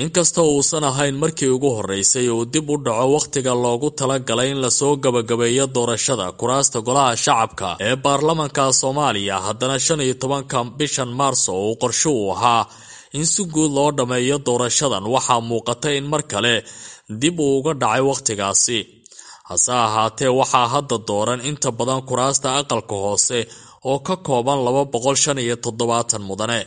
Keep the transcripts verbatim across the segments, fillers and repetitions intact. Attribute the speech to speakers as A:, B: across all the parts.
A: Inkastoo uusan ahayn markii ugu horreysay uu dib u dhaco wakhtiga loogu talagalay in lasoo gabagabeeyo doorashada kuraasta golaha shacabka ee baarlamanka Soomaaliya, haddana shan iyo tobanka bishan Maarso uu qorsho u ahaa in si guud loo dhammeeyo doorashadan, waxaa muuqata in mar kale dib uu uga dhacay wakhtigaasi. Hase ahaatee, waxaa hadda dooran inta badan kuraasta aqalka hoose oo ka kooban laba boqol shan iyo toddobaatan mudane.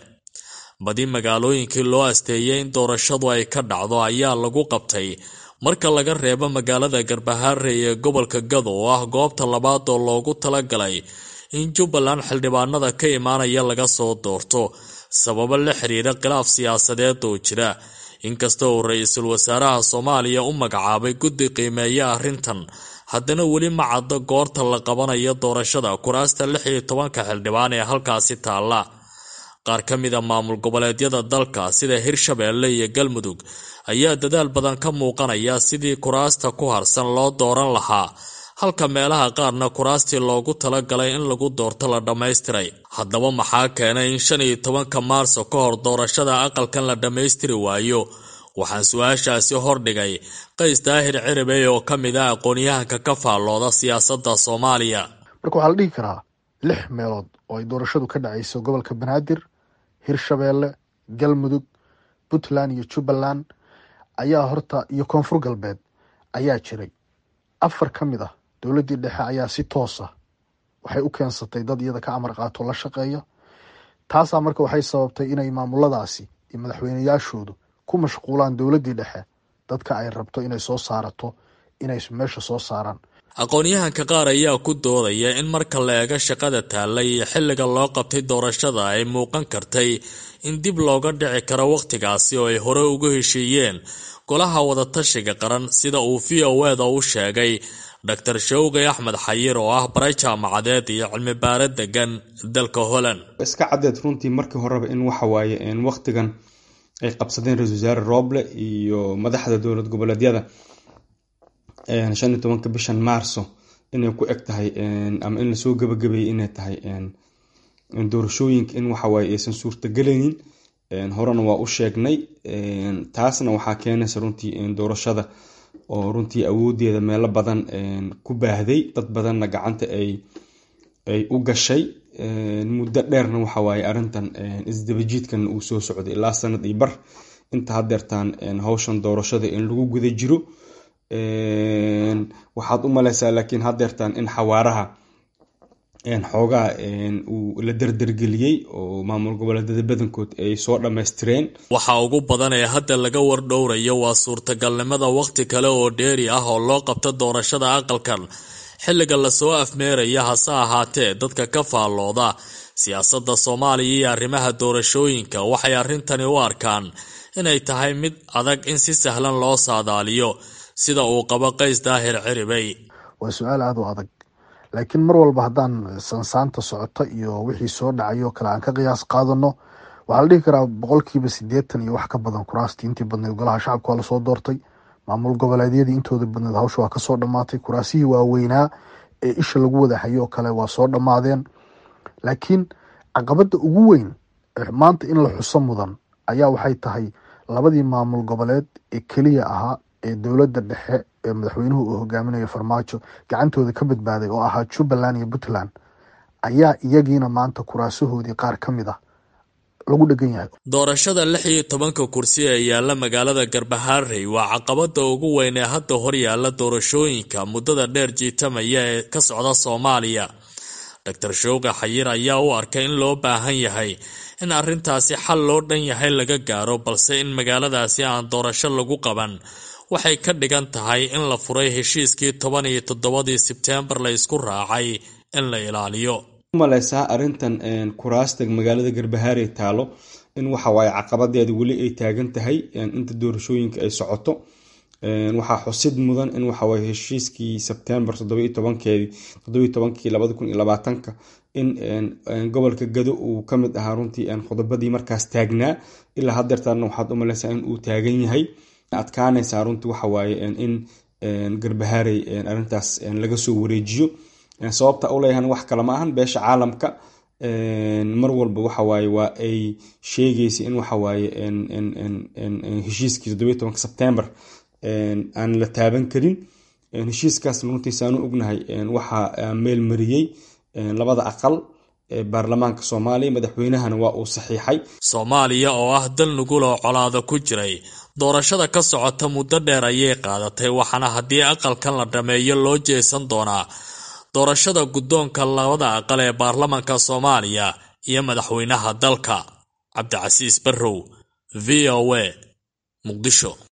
A: Badi magaalooyinkii loo asteeyay in doorashadu ay ka dhacdo ayaa lagu qabtay, marka laga reebo magaalada Garbaharey ee gobolka Gado oo ah goobta labaad oo loogu talagalay in Jubbaland xildhibaanada ka imaanaya laga soo doorto, sababo la xiriira khilaaf siyaasadeed oo jira. Inkasta uu ra-iisul wasaaraha Soomaaliya u magacaabay guddi qiimeeya arrintan, haddana weli ma caddo goorta la qabanayo doorashada kuraasta lix iyo tobanka xildhibaan ee halkaasi taalla. Qaar ka mida maamul goboleedyada dalka sida Hirshabeelle iyo Galmudug ayaa dadaal badan ka muuqanaya sidii kuraasta ku harsan loo dooran lahaa, halka meelaha qaarna kuraastii loogu talagalay in lagu doorto la dhammaystiray. Haddaba maxaa keenay in shan iyo tobanka Maarso ka hor doorashada aqalkan la dhammaystiri waayo? Waxaan su-aashaasi hordhigay Qays Daahir Ciribey oo ka mid ah aqoon-yahanka ka faallooda siyaasadda Soomaaliya.
B: Marka waxaa la dhihi karaa lix meelood oo ay doorashadu ka dhacayso, gobolka Banaadir, Hirshabeelle, Galmudug, Puntland iyo Jubbaland ayaa horta iyo Koonfur Galbeed ayaa jiray. Afar ka mid ah dowladdii dhexe ayaa si toosa waxay u keensatay dad iyada ka amar qaato, la shaqeeya. Taasaa marka waxay sababtay inay maamuladaasi iyo madaxweyneyaashoodu ku mashquulaan dowladdii dhexe dadka ay rabto inay soo saarato inay meesha soo saaraan.
A: Aqoon-yahanka qaar ayaa ku doodaya in marka la eego shaqada taalla iyo xilliga loo qabtay doorashada, ay muuqan kartay in dib looga dhici karo wakhtigaasi oo ay hore ugu heshiiyeen golaha wadatashiga qaran, sida uu V O eda u sheegay Doctor Shawqi Axmed Xayir oo ah bare jaamacadeed iyo cilmi baare degan dalka Holland.
C: Iska caddeed runtii markii horeba in waxa waaye wakhtigan ay qabsadeen ra-iisul wasaare Roble iyo madaxda dowlad goboleedyada shan iyo tobanka bishan Maarso inay ku eg tahay ama in lasoo gabagabeeyey inay tahay doorashooyinka, in waxawaaye aysan suurtagelaynin. Horena waa u sheegnay. Taasna waxaa keenaysa runtii doorashada oo runtii awoodeeda meelo badan ku baahday, dad badanna gacanta ay ay u gashay. Muddo dheerna waxawaaye arrintan isdabajiidkan uu soo socday ilaa sanad iyo bar inta hadeertaan hawshan doorashada in lagu guda jiro. Waxaad u maleysaa laakiin hadeertaan in xawaaraha xoogaa uu la dardargeliyey oo maamul goboleedyada badankood ay soo dhammaystireen.
A: Waxa ugu badan ee hadda laga wardhowrayo waa suurtagalnimada wakhti kale oo dheeri ah oo loo qabto doorashada aqalkan xilliga lasoo afmeeraya. Hase ahaatee, dadka ka faallooda siyaasadda Soomaaliya iyo arrimaha doorashooyinka waxay arrintani u arkaan inay tahay mid adag in si sahlan loo saadaaliyo, sida uu qabo Qays Daahir Ciribey.
B: Waa su-aal aada u adag, laakiin mar walba haddaan sansaanta socota iyo wixii soo dhacay oo kale aan ka qiyaas qaadano, waxaa la dhihi karaa boqolkiiba siddeetan iyo wax ka badan kuraastii intii badneed golaha shacabka waa lasoo doortay. Maamul goboleedyadii intooda badneed hawsha waa kasoo dhammaatay. Kuraasihii waaweynaa ee isha lagu wada hayo oo kale waa soo dhammaadeen, laakiin caqabadda ugu weyn maanta in la xuso mudan ayaa waxay tahay labadii maamul goboleed ee keliya ahaa ee dowladda dhexe ee madaxweynuhu uu hogaaminayo Farmaajo gacantooda ka badbaaday oo ahaa Jubbaland iyo Puntland ayaa iyagiina maanta kuraasahoodii qaar ka mid ah lagu dhegan yahay.
A: Doorashada lix iyo tobanka kursi ee yaalla magaalada Garbaharey waa caqabada ugu weyn ee hadda hor yaalla doorashooyinka muddada dheer jiitamaya ee ka socda Soomaaliya. Doctor Showqi Xayir ayaa u arkay in loo baahan yahay in arrintaasi xal loo dhan yahay laga gaaro, balse in magaaladaasi aan doorasho lagu qaban waxay ka dhigan tahay in la furay heshiiskii toban iyo toddobadii Sebteembar la isku raacay in la ilaaliyo.
C: Maleysaa arrintan kuraasta magaalada Garbaharey taalo in waxa waaye caqabadeeda weli ay taagan tahay inta doorashooyinka ay socoto. Waxaa xusid mudan in waxawaaye heshiiskii Sebtembar toddoba iyo tobankeedii toddoba iyo tobankii labada kun iyo labaatanka in gobolka Gado uu ka mid ahaa runtii qodobadii markaas taagnaa. Ilaa hadeertaana waxaad u maleysaa in uu taagan yahay. Adkaanaysaa runtii waxawaaye in Garbaharey arrintaas laga soo wareejiyo. Sababta u leeyahan wax kale ma ahan, beesha caalamka Mar walba waxawaaye waa ay sheegaysay in waxawaaye heshiiskii toddobiyo tobanka Sebtembar aan la taaban karin. Heshiiskaas runtiisa aanu ognahay waxaa meel mariyey labada aqal ee baarlamaanka Soomaaliya, madaxweynahana waa uu saxiixay.
A: Soomaaliya oo ah dal nugul oo colaada ku jiray, doorashada ka socota muddo dheer ayay qaadatay, waxaana haddii aqalkan la dhammeeyo loo jeesan doonaa doorashada guddoonka labada aqal ee baarlamaanka Soomaaliya iyo madaxweynaha dalka. Cabdicasiis Barrow, V O A, Muqdisho.